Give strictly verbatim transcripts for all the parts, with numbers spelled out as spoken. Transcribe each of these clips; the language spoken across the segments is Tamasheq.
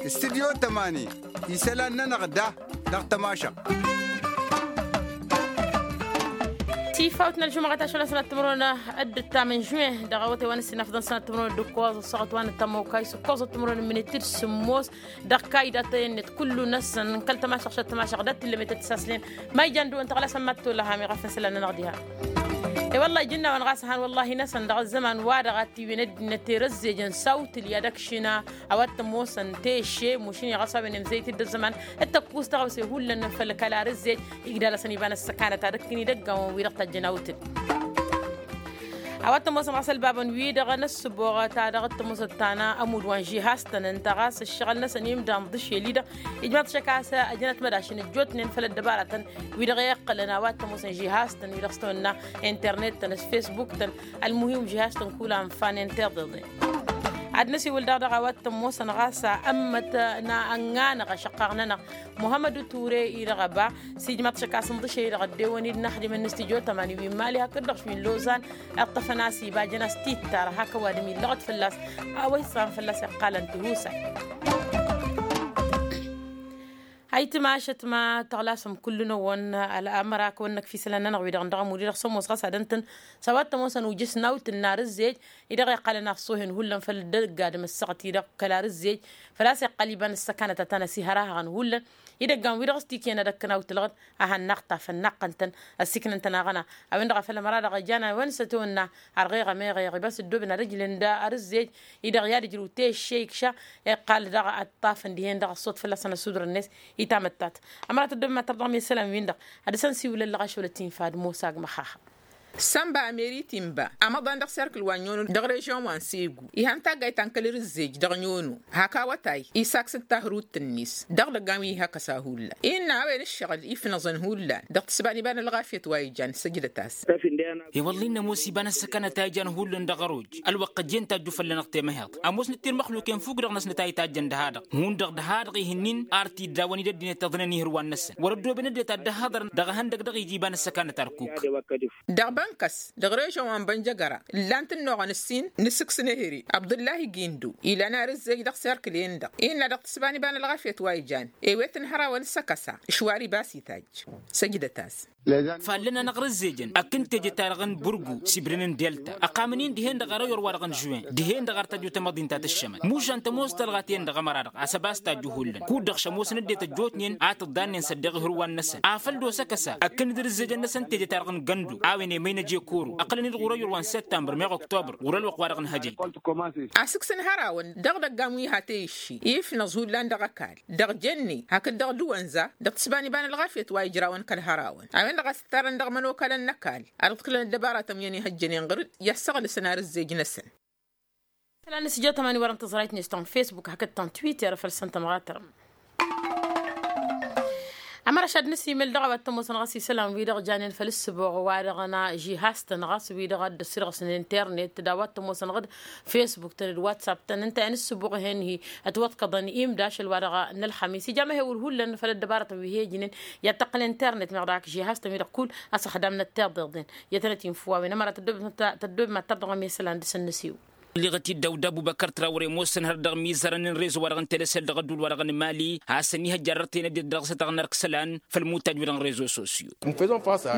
Studyo tămani isălan-nănăɣ da dăɣ-tămašăɣt. Tifawt n-ălžumăɣăt ašăl n-sănăt timǝrwen d-ǝttam n-žuwen dăɣ-awătay wa n-ǝssin afḍăn sănăt timǝrwen d-ǝkkoẓ ăssaɣăt wa n-ăttam okay s-ǝkkoẓăt timǝrwen n-minit d-sǝmmos. Dăɣ-kayda tăyănnet kullu-năsăn n-kăl-tămašăɣ šăt tămašăɣ dat-tǝllămet d-tǝsaslen. Ma ijan dăɣ-wăn tăɣlasăn ma t-tolăham iɣafăn isălan-nănăɣ diha. I-wăllah ijǝnnawăn ɣas han wăllah inăsăn dăɣ-ăzzăman wa-dăɣ a t-iwin ăddinăt i-rǝzzejăn s-awtǝl i-ad-ăkšǝn a-wa t-ămoosăn tešše mušǝn i-ɣas a-wen emzăyt-dd ăzzăman d-tăkkus dăɣ-a-wa s-ihullan făll-kăla rǝzzej. Igdalăsăn iba n-ăssăkanăt ad-ǝkkǝn idăggawăn wi-dăɣ tajjăn awtǝl. A-wa t-ămoosăn ɣas ălbabăn-wi-dăɣ n-ăssǝboɣăt a dăɣ-t-ămoosăt tană ămudd wa n-žihastăn ǝnta ɣas ǝššăɣǝl-năsăn imdan ḍǝšel-i-dăɣ. Ijmaḍ-t šăkk a-s ăjănăt mădašăn ăjjootnen făll-ăddăbarătăn wi-dăɣ iqqălăn a-wa t-ămoosăn žihastăn wi-dăɣ s-tăwănna internet-tăn s-fesbuk-tăn. Ălmuhim žihastăn kul-anfa n-internet-en. Ad-năsiwǝl daɣ dăɣ-a-wa t-ămoosăn ɣas ămmăt n-ănɣanăɣ ašăqqaɣ-nănăɣ muhămmăd ture-i-dăɣ ăba. S-ijmaḍ-t šăkk a-s ǝnḍǝšel-i-dăɣ ăddewăn-dd n-axdimăn n-studyo tămani wi n-mali hakd-dăɣ šwi n-lozan. Iṭṭăfăn-as iba jăn-as tittara hak ăwadǝm illăɣăt fălla-s a-wa issan fălla-s iqqalăn tihusay. Ayǝtmašăt ma tăɣlasăm kullu-năwăn ămăra kăwăn-năkf isălan-nănăɣ wi-dăɣ n-dăɣ-ămud-i-dăɣ s-ămoos ɣas ad-ǝntǝn. S-a-wa t-ămoosăn ujǝs n-awtǝl n-arǝzzej-i-dăɣ iqqalăn afsohen hullan făll-dăgg-adǝm ăssaɣăt-i-dăɣ kăl-arǝzzej. Făl-a-s iqqăl iba n-ǝssăkanăt ad-tăn-ăsihărahăɣăn hullan. Idăggan-wi-dăɣ s-tikǝyăn ad-ăkkăn awtǝlɣăd a hannăɣ-tafăn naqqăn-tăn ăssiiknăn-tăn aɣăna. A-wen-dăɣ a făl ămăra-dăɣ ijăn a-wen s-ătwănna ărɣeɣ ămeɣeɣ i-bas ǝddobăn ad-ǝjlǝn d-arǝzzej-i-dăɣ i-ad-ǝjrǝw tešše ikša. Iqqal daɣ ad-ṭṭafăn dihen-dăɣ ăṣṣut fălla-săn ăssudrăn-net i-tamăttat. Ămărat ăddobăn ma tărdăɣ mi isălan-win-dăɣ ad-dăr-săn siwǝlăn lăɣašăwălăt infa d-mosa agmăxaxa. Sănba amerit inba amăḍan dăɣ-serkǝl wa n-iono dăɣ-režyon wa n-segu ihăn taggayt ta n-kăl-rǝzzej dăɣ-iono hak awătay isaks d-tahrut-net dăɣ-idăggan wi ihăkăsa hullan innă a-wen ǝššăɣǝl ifnăẓăn hullan dăɣ-tǝsban iba n-ălɣafyăt wa ijan săjdăt-as. I-wălla-i n-ămoos iba n-ăssăkanăt a ijan hullan dăɣ-ăroj ălwăqq ăjjeen tajju fălla-năɣ temăheḍt ămoosnăt irmăxluken fuk-dăɣ-năsnăt a itajjăn dăha-dăɣ hundăɣ dăha-dăɣ ih'-ǝnnin ar t-dd-awăn-dd ăddinăt iḍǝnăn ihǝrwan-năsăn wăr-ăddooben ăddinăt ad-dd-ăhhăḍărăn dăɣ-ehăndăg dăɣ-iji iba n-ăssăkanăt ar kuk. Dăɣ-bănkăs dăɣ-režyon wa n-bănjăgăra ǝllan-t ǝnnuɣăn ǝssin n-asǝks n-ehăre abdǝllahi gindo ilan arǝzzej dăɣ-serkǝl-en-dăɣ innă dăɣ-tǝsban iba n-ălɣafyăt wa ijan ewet n-hărawăn s-ăkăsa ǝšwar iba a-s itajj. Săjdăt-as. Fallăn-anăɣ rǝzzejăn ăkk n-teje-ta-dăɣ n-bǝrgu s-ibren n-delta ăqqamăn-in dihen-dăɣ arăyor-wa-dăɣ n-žuwen dihen-dăɣ ar tăjju tamăḍint ta tǝššămăn mušan tămoos tălɣa-ten-dăɣ ămăra-dăɣ a-s ăba s-tajju hullan kud-dăɣ šămoosăn ăddinăt ăjjootnen a tǝḍḍannen s-ăddeɣ ihǝrwan-năsăn afăl dd-osăkăsa ăkk n-dd-rǝzzejăn-năsăn teje-ta-dăɣ n-găndo a-wen emăynăj i-koro ăqqălăn-dd ɣur-ăyor wa n-săttămbăr meɣ ăktobăr ɣur-ălwăqq-wa-dăɣ n-hăjăy. Asǝks n-hărawăn dăɣ-idăggan wi ha teyǝšši ifnăẓ hullan dăɣ-ăkall dăɣ-jenne hakd dăɣ-dăwănza dăɣ-tǝsban iba n-ălɣafyăt wa ijrawăn kăl-hărawăn a-wen-dăɣ a-s ǝttarăn dăɣ-imănokalăn n-ăkall ad-ǝḍkǝlăn ăddăbaratăn wi ănihăjjănen ɣǝr-dd i-ad-săɣlǝsăn arǝzzej-năsăn. Isălan n-sǝjjăw tămani wărăn tǝẓrayt-net ta n-fesbuk hakd ta n-twitter făll-săn tămɣatărăm. Ămăra šad nǝsimǝl dăɣ-a-wa t-ămoosăn ɣas isălan-wi-dăɣ janen făll-ǝssǝboɣ wa-dăɣ n-žihaz-tăn ɣas wi-dăɣ a dd-ăssirɣǝsnen internet d-a-wa t-ămoosăn ɣǝd fesbuk-tăn d-whatsapp-tăn ǝnta i-ad-nǝssǝboɣ hen-hi ătwăḍkăḍăn imda ašăl wa-dăɣ n-ălxămis ija amăhewǝl hullan făll-ăddăbarătăn wi he-ǝjǝnen i-ad-tăqqǝl internet meɣ dăɣ-ak žihaz-tăn wi-dăɣ kull asăxdam n-ăttiḍeḍen. I-ad-tănăt-infǝw a-wen ămăra tăddobem ma tăddobem ma tărdăɣăm i-isălan dăr-săn nǝsiwǝl. Ǝlliɣăt-dd dawda ăbubăkăr trawre ămoosăn hărăt dăɣ-imizărăn n-rezo wa dăɣ-n-telesel dăɣ-ădduul wa dăɣ-nǝmali has-ănihăjja ărrăt-en ăddinăt dăɣ-s ad-tăɣnăr kăsălan făll-imutaj wi dăɣ-n rezo sosyo.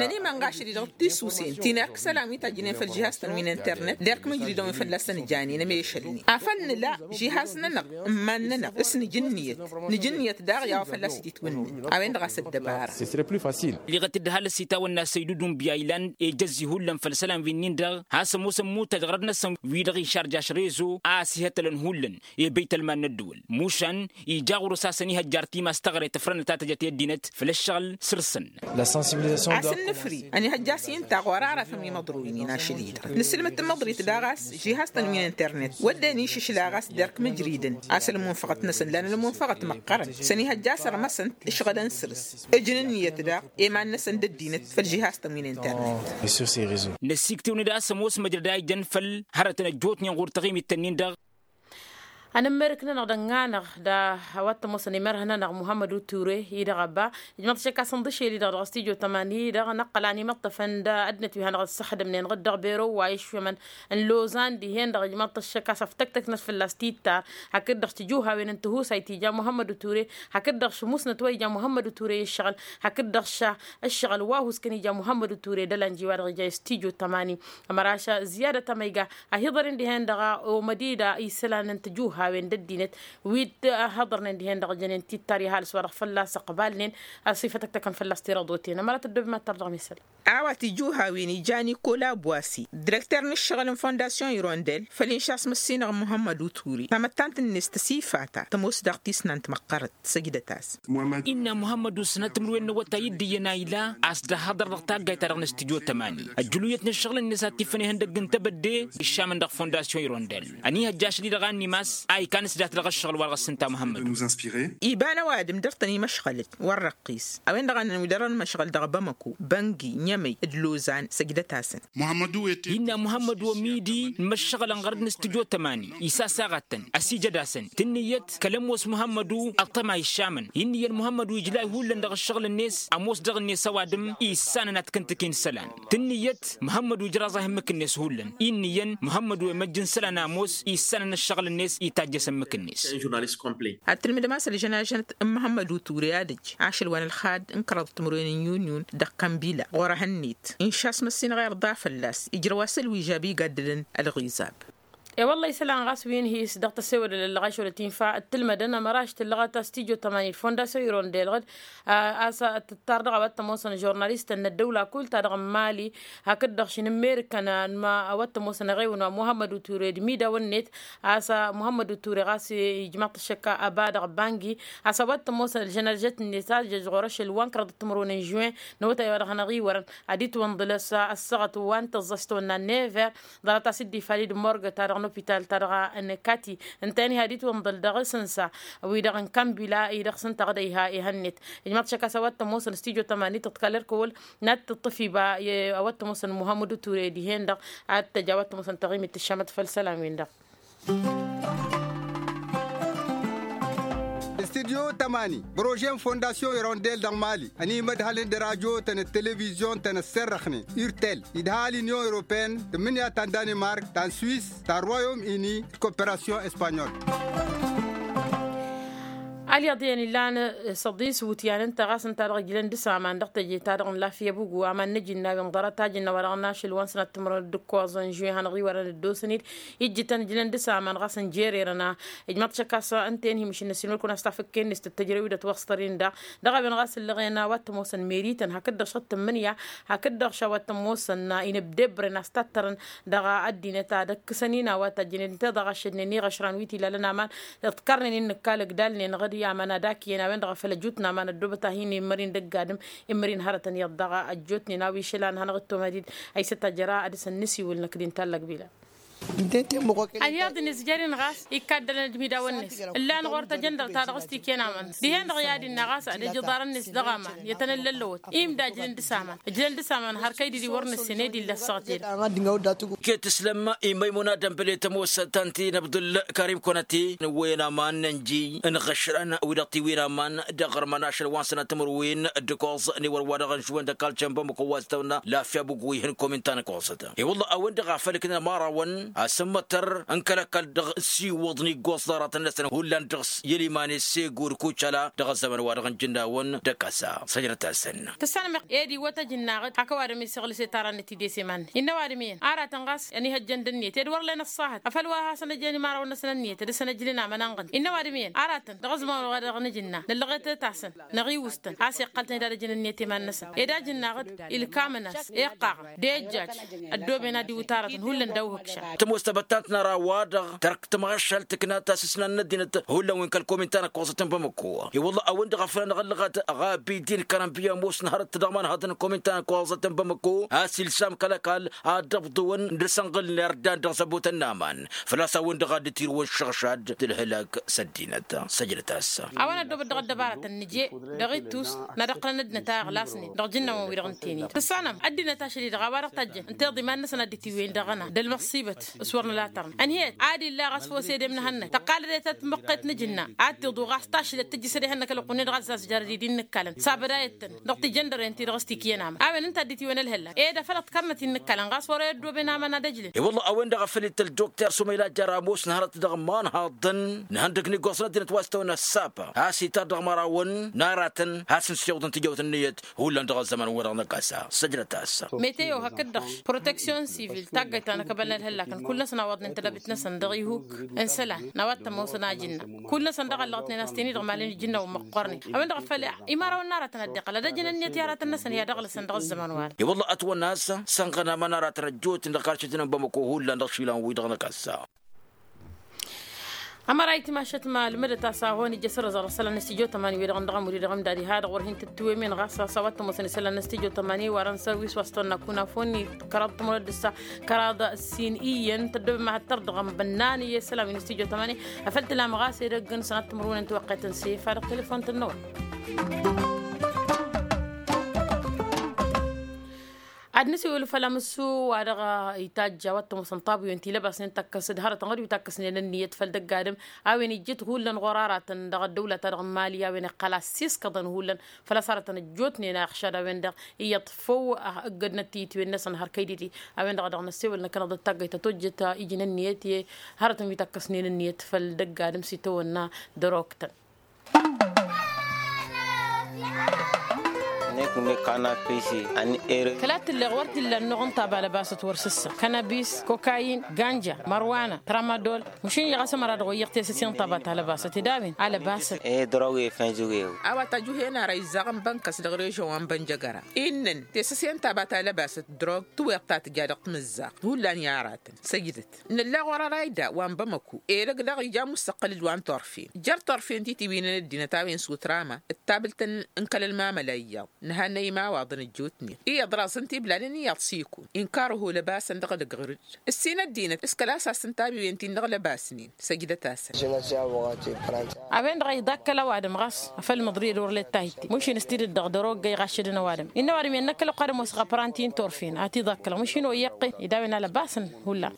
Nănimănɣašăd-i dăɣ-tisusen ti n-erk isălan wi tajjǝnen făll-žihaz-tăn wi n-internet d-erk mǝjridăn wi fălla-săn janen ămešălnen afăl nǝla žihaz-nănăɣ n-iman-nănăɣ s-nǝj ǝnniyăt. Nǝj ǝnniyăt daɣ i-a-wa fălla-s ititwǝnnen a-wen-dăɣ a-s ăddăbara. Liɣăt-dd halăs itawănna săydudun biyaylan ejăzzi hullan făll-isălan wi-nin-dăɣ has-ămoosăn mutaj ɣărăt-năsăn wi-dăɣ išarjaš rezo a ăsihătălăn hullan i-băytălman n-ăddăwăl mušan ija ɣur-s a-s ănihăjjar timas taɣre tǝfrănăt a tăjăt i-ăddinăt făll-ăššăɣǝl săr-săn. Asǝnnǝfri ănihăjja s-inta ɣur-aratăn wi măḍroynen ašăl-i-dăɣ nǝsǝlmǝd tamăḍrit daɣ a-s žihaz-tăn wi n-internet wădden išǝšla ɣas d-erk mǝjridăn a-s ălmunfăɣăt-năsăn lan ălmunfăɣăt măqqărăn s-ănihăjja sărmăsăn-t ǝšɣǝlăn săr-s. Ǝjǝn ǝnniyăt daɣ i-iman-năsăn d-ăddinăt făll-žihaz-tăn wi n-internet. Năsiktewăn-dd a-s ămoos măjrăd a ijăn făll-hărătăn ăjjootnen ɣur-taɣimit-tăn-in-dăɣ. Anǝmmerǝk-nănăɣ d-ănn'-anăɣ d-a-wa t-ămoosăn imărhăn-anăɣ muhămmăd uture-i-dăɣ ăbba ijmăḍ tišăkka s-inḍǝšel-i-dăɣ dăɣ-s tijo tămani-dăɣ năqqăl a n-imăṭṭăfăn d-ăddinăt wi hanăɣ-dd-săxdămnen ɣǝd dăɣ-bero wa išwămăn n-lozan dihen-dăɣ ijmăḍ tišăkka s-ăftăktăknăt fǝlla-s titta hakd-dăɣ s-tijuhawen n-tihusayt ija muhămmăd uture hakd-dăɣ s-musnăt wa ija muhămmăd uture i-ǝššăɣǝl hakd-dăɣ s-ǝššăɣǝl wa huskăn ija muhămmăd uture d-ălanji wa dăɣ-ija i-s tijo tămani. Ămăraš ziyadăt amăyga a hi-iḍăren dihen-dăɣ omădida isălan n-tijuhawen d-ăddinăt wi t-hăḍărnen dihen-dăɣ jănen tittar i-ăhalǝs wa dăɣ-fălla-s ăqbalnen a-s ifătăktăkăn fălla-s tirăḍoten ămărat ăddob imattăr dăɣ-misăl. A-wa tijuhawen ija nikola bwasi direkter n-ǝššăɣǝl n-fondasyon irondel făll-inša a-s măssinăɣ muhămmăd uture tamăttant-net tăsifata tămoos daɣ tisnant măqqărăt. Săjdăt-as. Innă muhămmăd usnăt timǝrwen n-awătay dd-iyyăn a ila a-s dd-ăhhăḍăr dăɣ-taggayt-ta-dăɣ n-studyo tămani ăjjǝluyăt n-ǝššăɣǝl-net ad-t-iffăn ihăndăgg n-tebădde iššamăn dăɣ-fondasyon irondel. Ăniihăjja ašăl-i-dăɣ a ănnimas a ikan s-dat dăɣ-ǝššăɣǝl wa dăɣ-s ǝnta muhămmăd. Iba n-ăwadǝm dăr-tăn imăšɣălăt wăr răqqis a-wen-dăɣ a năn wi dăr-ănmăšɣăl dăɣ-bamăko băngi nyămăy d-lozan. Săjdăt-asăn. Innă muhămmădu ămidi n-imăššăɣălăn ɣărăt n-studyo tămani isasaɣăt-tăn ăsijăd-asăn tǝnnǝyăt kăl-ămoos muhămmădu ăṭṭăma iššamăn. Innă iyyăn muhămmădu ijlay hullan dăɣ-ǝššăɣǝl-net ămoos dăɣ-net ăwadǝm issanăn ad-t-kǝntǝk-in isălan. Tǝnnǝyăt muhămmădu ijraẓ-e ihǝmmǝk-net hullan innă iyyăn muhămmădu emăjj n-isălan ămoos issanăn ǝššăɣǝl-net itajj'-as ǝmmǝk-net. Ad-tǝlmǝdăm a-s ălžănažănt n-muhămmădu ture ad-ăj ašăl wa n-ălxad n-kăraḍăt timǝrwen n-yunyun dăɣ-kănbila ɣur-ehăn-net inša a-s măssinăɣ irḍa fălla-s ijrăw asăl wi žab igaddǝlăn ălɣizab. E-wălla isălan ɣas wi n-hi-s dăɣ-tăssewădăl ăllăɣayš wăla tinfa d-tǝlmădăn ămăraš tǝllăɣăt a-s tijo tămani d-fondasyon irondelăɣ-dd a-s tǝttar dăɣ-a-wa t-ămoosăn žurnalistăn n-ăddăwla kull-ta-dăɣ n-mali hakd-dăɣ šin n-merikăn n-a-wa t-ămoosăn eɣewăn wa muhămmăd uture d-imidawăn-net. A-s muhămmăd uture ɣas ijmaḍ-t ăššăk ăba dăɣ-bangi a-s a-wa t-ămoosăn ălžănăžăt-net a jăžɣur ašăl wa n-kăraḍăt timǝrwen n-žuwen n-awătay wa dăɣ-hanăɣ-iwărăn ad-itwănḍǝl a-s ăssaɣăt wa n-tăẓẓa s-tawănna n-never. Ḍarăt-as dd-ifali d-morgăt-ta-dăɣ n-opital-ta-dăɣ n-kati ǝnta-en iha d-itwănḍǝl dăɣ-s ǝnsa wi-dăɣ n-kambila-i dăɣ-s ǝnta ɣǝd a iha ihăn-net. Ijmaḍ-t šăkk a-s a-wa t-ămoosăn studyo tămani tǝḍkal ărkăwăl n-ad-tǝṭṭǝf iba a-wa t-ămoosăn muhămmăd uture dihen-dăɣ ad-t-ăj a-wa t-ămoosăn taɣimit tǝššamăt făll-isălan-win-dăɣ. Studyo tămani prože n-fondasyon irondel dăɣ-mali ănimădhălăn d-radyo-tăn d-televizyon-tăn ăsserrăxnen urtel idha l-inyon europene tǝmmǝnǝya ta n-danimark ta n-swis ta n-royom ini d-koperasyon espanyol. Alyaḍ iyyăn illan săḍis wutyan ǝnta ɣas ǝnta-dăɣ ǝjlăn d-asaman dăɣ-teje-ta-dăɣ n-lafyăbug wa mannăj innă wi n-ḍarăt a jǝnnă wa dăɣ-našăl wa n-sănat timǝrwen d-ǝkkoẓăn žuy hanăɣ-iwărăn dd-osăn-dd ijjǝtăn ǝjlăn d-asaman ɣas ǝnjer'-erăn. Ijmaḍ-t šăkk a-s ǝnta-en hi-mǝšǝnnăs-in wăr kăwăn-as tafǝkken-net tăttăjrăw-i d-ătwăṣtăr-in daɣ dăɣ-a-wen ɣas ǝllăɣen a-wa t-ămoosăn merităn hakd-dăɣ šăt tǝmmǝnǝya hakd-dăɣ š-a-wa t-ămoosăn inǝbdebren a-s tattărăn dăɣ-ăddinăt ad-ăkkǝsăn-in a-wa tajjănen teḍa ɣaššădnen iɣăšran wi t-ilalăn aman. Ǝḍkărnen innă ǝkka ălăgdalnen ɣǝd i-aman ad-ak iyyăn a-wen-dăɣ a făl ăjutnăɣ aman ăddoobăt a hin-immărin dăgg-adǝm. Immărin hărătăn iyyăḍ daɣ ăjjootnen a-wa išălan hanăɣ-dd-tomădid. Ăysăt a jăra ad-dăr-săn nǝsiwǝl năkk d-inta ăllăgbila. Ălyaḍ-net jer-in ɣas ikka ăddălăn d-imidawăn-net ǝllan ɣur-tăjăndăr ta dăɣ-s t-iken aman. Dihen-dăɣ i-ad-innă ɣas ad-ăj iḍarăn-net dăɣ-aman i-ad-tăn-ăllăllăwăt imda ǝjlăn d-asaman ǝjlăn d-asaman har kăy-dd-ili wăr nǝssen ed illa ăssaɣăt-i-dăɣ. Iket ǝslăm i-măymuna dănbăle tămoosăn ta n-tinăbḍǝl karim kăwănăte n-ăwwăyăn aman n-ănji n-iɣăšrăn wi-dăɣ tiwin aman d-aɣrǝmăn ašăl wa n-sănat timǝrwen d-ǝkoẓ n-ewăr wa dăɣ-ănšwăn d-ăkall cănbăm ăkăwwazăt tăwănna lafya bugwi hin-komin ta n-ăkoẓăt. I-wălla a-wen-dăɣ a făl ǝknăn ămărawăn asǝmmătăr n-kăl-ăkall dăɣ-siwǝḍ n-iggoẓ ḍarătăn-năsăn hullan dăɣ-s i-ăliman i-segu d-kucala dăɣ-ăzzăman wa dăɣ-nǝjǝnnawăn d-ăkasa. Săjdăt-asăn. Tǝssanăm ed iwwăt ăj ǝnnaɣ-dd hak ăwadǝm isăɣlǝs i-tarannăt-dd i-s iman-net innă ăwadǝm iyyăn aratăn ɣas ănihăjjăn d-ǝnniyăt ed wăr len ăṣṣahăt afăl wa hasăn-ăjjăn imărawăn-năsăn ǝnniyăt ad-dăr-săn ăjlǝn aman ănɣǝn innă ăwadǝm iyyăn aratăn dăɣ-ăzman wa dăɣ-nǝj ǝnna năllăɣet-t-asăn năɣiwǝs-tăn a-s iqqăl-tăn ed ad-ăjǝn ǝnniyăt i-iman-năsăn ed a ǝjǝnnaɣ-dd ilkamăn-as iqqaɣăn d-ejjaj ăddooben ad-iwǝt aratăn hullan daw-ihǝkšan. Tămoos tăbăttant n-ara-wa-dăɣ tărk tămɣăššalt tǝkna tasǝsna n-ăddinăt hullan wi n-kăl-komin ta n-ăkkoẓăt n-bamăko. I-wălla a-wen-dăɣ a făl anăɣ-ăllăɣăt ɣabidin kărănbiya ămoosăn hărăt dăɣ-imanhăḍăn n-komin ta n-ăkkoẓăt n-bamăko a-s ilsam kăl-ăkall ad-dd-ăbḍǝwăn d-asănɣǝl n-irdan dăɣ-zăbotăn n-aman. Făl-a-s a-wen-dăɣ a dd-tirǝwăn šăɣšad d-ǝlhǝlak s-ăddinăt. Săjdăt-as. A-wa n-ăddoobăt dăɣ-ăddăbarătăn nǝje dăɣ-ittus n-ad-ăqqălăn ăddinăt a iɣlasnen dăɣ-ijǝnnawăn-wi-dăɣ n-tenit tǝssanăm ăddinăt ašăl-i-dăɣ a-wa dăɣ-tajjăn ǝnta iḍa iman-năsăn ad-dd-itiwǝyăn dăɣ-ăna d-ălmăṣṣibăt. S-wăr nǝla tărna ănhăyăt ad-illa ɣas fos edem n-ehănnăk tăqqalădet ad-tmǝqqet n-ajǝnna ad-tiḍu ɣas tašlăt tǝjjǝsăd ehănnăk ălwăqq-net ɣas za-s jarăd-i d-innǝkkalăn sabădayăt-tăn dăɣ-tijăndăren-ti-dăɣ s-tikǝyăn aman a-wen ǝnta dd-tiwăn ălhăllak ed afăl ăḍkărnăt innǝkkalăn ɣas wăr-e ăddooben aman ad-ăjlǝn. I-wălla a-wen-dăɣ a făl ităl dokter sumayla jăramus n-hărăt dăɣ-imanhaḍăn n-ihăndăg n-iggoẓăn ăddinăt wa s-tawănna s-sapa a-s itar dăɣ-imărawăn n-aratăn has-ǝnsiwǝḍăn tijăwt ǝnniyăt hullan dăɣ-ăzzăman-wi-dăɣ n-akăsa. Săjdăt-as. Meteo hakd-dăɣ proteksyon sivil taggayt ta n-akăbal n-ălhăllakăn kull-năsăn a wăḍnen tădabit-năsăn dăɣ-ihuk n-isălan n-a-wa t-ămoosăn ajǝnna. Kull-năsăn daɣ ăllăɣătnen a-s ten-i-dăɣ malăn ijǝnnawăn măqqoornen a-wen-dăɣ a făl imărawăn n-aratăn ad-dd-iqqăl ad-ăjǝn ǝnniyăt i-aratăn-năsăn i-ad-ăɣlăsăn dăɣ-ăzzăman-wa-dăɣ. I-wălla ătwănna a-s sănɣăna mănarăt răjjut dăɣ-karcătăn n-bamăko hullan dăɣ-išilan-wi-dăɣ n-akăssa. Ămăra itimašăt ma ălmădăt a-s a hon ija s-ărrăẓăr isălan n-stijo tămani-wi-dăɣ n-dăɣ-amud-i-dăɣ ǝmdad iha-dăɣ wăr hin-tǝttǝwem-en ɣas a-s a-wa t-ămoosăn isălan n-stijo tămani warăn sărwis wa s-tăwănna kunafon-i kăraḍ timǝrwed d-ǝssa kăraḍ sin iyyăn tăddobem ad-tărdăɣăm bănnan i-isălan wi n-stijo tămani. Afăl tǝlam ɣas edăgg-năsăn ad-tǝmărwǝnen tiwăqqet n-sefa dăɣ-telefon-tăn-năwăl. Ad-nǝsiwǝl făll-amǝssu wa dăɣ-itajj a-wa t-ămoosăn tabuyăn tilăbasnen takkăs d-hărătăn ɣad wi takkăsnen ǝnniyăt făll-dăgg-adǝm a-wen ijjǝt hullan ɣur-aratăn dăɣ-ăddăwla-ta-dăɣ n-mali a-wen iqqăl a ăssiskăḍăn hullan făl-a-s hărătăn ăjjootnen a iɣšad a-wen-dăɣ iyyăḍ făw ăggădnăt titwen-năsăn hărkăy didi. A-wen-dăɣ a dăɣ-năssewăl năkkăneḍ d-taggăyt ta tojjăt iji n-ǝnniyăt i-hărătăn wi takkăsnen ǝnniyăt făll-dăgg-adǝm s-itawănna dăr-oktăn. Kăla t-illeɣ wăr t-illa ănnuɣ n-taba lăbasăt wăr s-ǝssa kanabis kokayin ganja mărwana tramadol. Măšin iyyăɣ a-s ămăra dăɣ-oyyăɣ tesăse n-taba ta lăbasăt ed a-wen a lăbasăt. Ed răw efănjăw ew. A-wa tajuhen ara izzaɣ n-bănkăs dăɣ-režon wa n-bănjăgăra innăn tesăse n-taba ta lăbasăt drog tǝweḍ ta tǝja dăɣ-timǝzzaɣt hullan i-aratăn săjdăt. Nǝlla ɣur-arayda wa n-bamăku elăg daɣ ija amussăqqăl d-wa n-turfen jer-turfen titiwinăn ăddinăt a-wen s-utrama d-tabǝlt n-kăl-ălmamăla iyyăḍ. Nǝhannăy imawaḍăn ăjjootnen iyyăḍ raẓăn tiblalăn iyyăḍ s-ikun inkar ăho lăbasăn dăɣ-edăgg ɣǝr-dd ǝssin ăddinăt s-kăla a-s a-s tǝntabiwen-tin-dăɣ lăbasnen. Săjdăt-asăn. A-wen-dăɣ a iḍakkăl ăwadǝm ɣas afăl măḍriyăd wăr let tahǝtte măšin s-tidǝt dăɣ-dăr-oggăy ɣaššădăn ăwadǝm innă ăwadǝm i-ănnăkkăl ăqqadăm osăɣ apranti n-turfen a t-iḍakkălăɣ măšin oyyăqqen ed a-wen a lăbasăn. Hullan.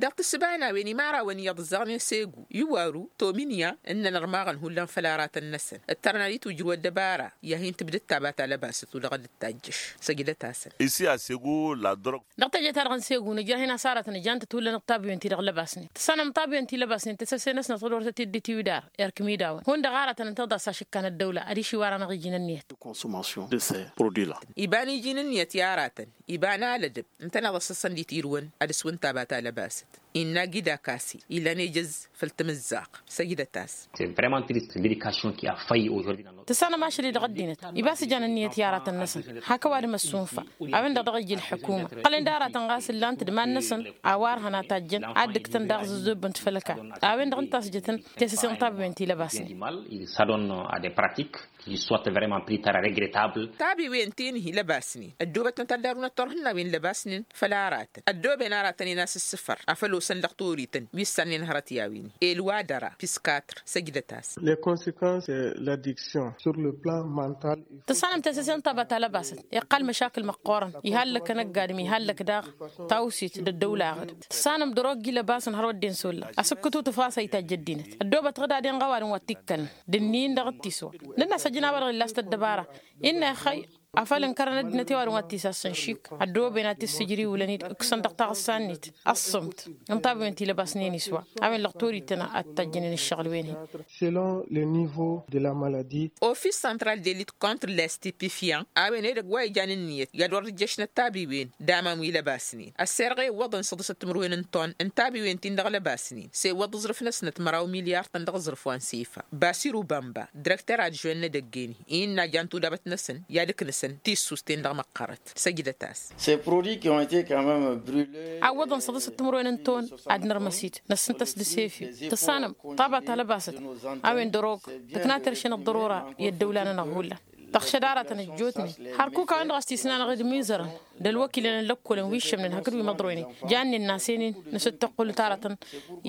Dăɣ-tǝssǝba n-a-wen imărawăn iyyăḍ ǝzzaɣnen segu iwaru tominya ǝnnăn ărmaɣăn hullan făll-aratăn-năsăn ǝttărna d-itwǝjrǝw ăddăbara i-ad-hin-tǝbdǝd taba ta lăbasăt u-dăɣ dd-tajjăš. Săjdăt-asăn. Isi a segu la drog. Dăɣ-teje-ta-dăɣ n-segu nǝjrăh-in a-s aratăn ǝjan-tăt hullan d-tabuyăn-ti-dăɣ lăbasnen tǝssanăm tabuyăn-ti lăbasnen tăsăse-năsnăt ɣǝd wăr tăt-dd-itiwǝdar erk imidawăn hundăɣ aratăn ǝnta d-asašǝkkan ăddăwla adiš iwar-anăɣ iji n-ǝnniyăt. Consommation de ces produits la. Iba n-iji n-ǝnniyăt i-aratăn iba n-alădăb ǝntăneḍ a-s ăssăn d-itirǝwăn ad-ǝswǝn taba ta lăbasăt innă agida kase ilan ejăz făll-tamǝzzaɣt. Săjdăt-as. Tǝssanăm ašăl-i dăɣ-ăddinăt iba a-s ijan ǝnniyăt i-aratăn-năsăn hak ăwadǝm ăssunfa. A-wen-dăɣ dăɣ-ija ălḥukuma ǝqqălăn d-aratăn ɣas ǝllan-t d-iman-năsăn a-wa ărhăn a tajjăn ad-dd-ǝktăn daɣ zǝzzobb n-tfălka. A-wen-dăɣ ǝnta a-s jătăn tesăse n-tabiwen ti lăbasnen. Tabiwen ti n-hi lăbasnen ăddoobăt n-taddarun ăttorhǝnnawen lăbasnen făll-aratăn ăddooben aratăn-in a-s ǝssǝfăr afăl osăn dăɣ-torităn wi ǝssannen hărăt i-a-wen. Elwadăra piskatr săjdăt-as. Tǝssanăm tesăse n-taba ta lăbasăt iqqal măšakǝl măqqoorăn ihallăk anăgg-adǝm ihallăk daɣ tawsit d-ăddăwla aɣǝd. Tǝssanăm dăr-ogg ilăbasăn har wădden s-olla asǝkkǝtut ăfas a itajj ăddinăt ăddoobăt ɣǝd ad-inɣa ăwadǝm wa t-ikkălăn d-ǝnnin dăɣ-tiswa. Nǝnn'-as ăjǝn a-wa-dăɣ illa a-s tăddăbara innă ixăy afăl ǝnkărăn ăddinăt i-ăwadǝm wa t-isassăn šik ăddooben ad-t-issǝjrǝwǝlăn-dd ǝkkǝsăn dăɣ-taɣǝssa-net ăṣṣumt n-tabiwen ti lăbasnen iswa. A-wen-dăɣ torităn ad-t-tajjǝnen ǝššăɣǝl-wen-hi. Selon le nivo de la maladi. Ofis santral de lit contre lestipifian a-wen edăgg wa ijan ǝnniyăt i-ad-wăr ǝjjăšnăt tabiwen d-aman wi lăbasnen ăsserɣe iwwăḍăn săḍǝsăt timǝrwen n-ton n-tabiwen-tin-dăɣ lăbasnen s-e iwwăḍ aẓrǝf-năsnăt măraw milyar-tăn dăɣ-aẓrǝf wa n-sefa. Basiru bamba direkter adžwen n-edăgg-en-hi innă a jan tudabăt-năsăn i-ad-ǝknǝsăn tissust-en dăɣ-măqqărăt. Săjdăt-as. Ces produits qui ont été quand même brulés. Awwăḍăn săḍǝsăt timǝrwen n-ton ad-nărmăs-dd năssǝntăs d-sefi tǝssanăm ṭaba ta lăbasăt. A-wen dăr-ok tǝkna terše n-ăḍḍărora i-ăddăwla-nănăɣ hullan. Tăɣšăd aratăn ăjjootnen hărkuk a-wen-dăɣ a-s tisnanăɣ-dd imizărăn d-ălwăkilăn n-lăkkolăn wi ǝššămnen hakd wi măḍroynen. Jannen n-asenăn nǝsǝttăqqulăt aratăn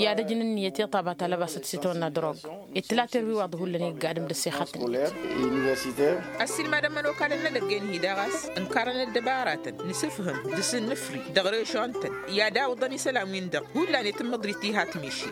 i-ad-ăjnăn ǝnniyăt iṭṭabat alăbasăt s-itwănna drog. Ed tǝlater wi waḍ hullan iggadăm d-ăssexat-net. Ăssiilmadăn imănokalăn n-edăgg-en-hi daɣ a-s ǝnkarăn ăddăbaratăn n-asǝfhǝm d-asǝnnǝfri dăɣ-režon-tăn i-ad-awǝḍăn isălan-win-dăɣ hullan i-tǝmmǝḍrit tihat miši.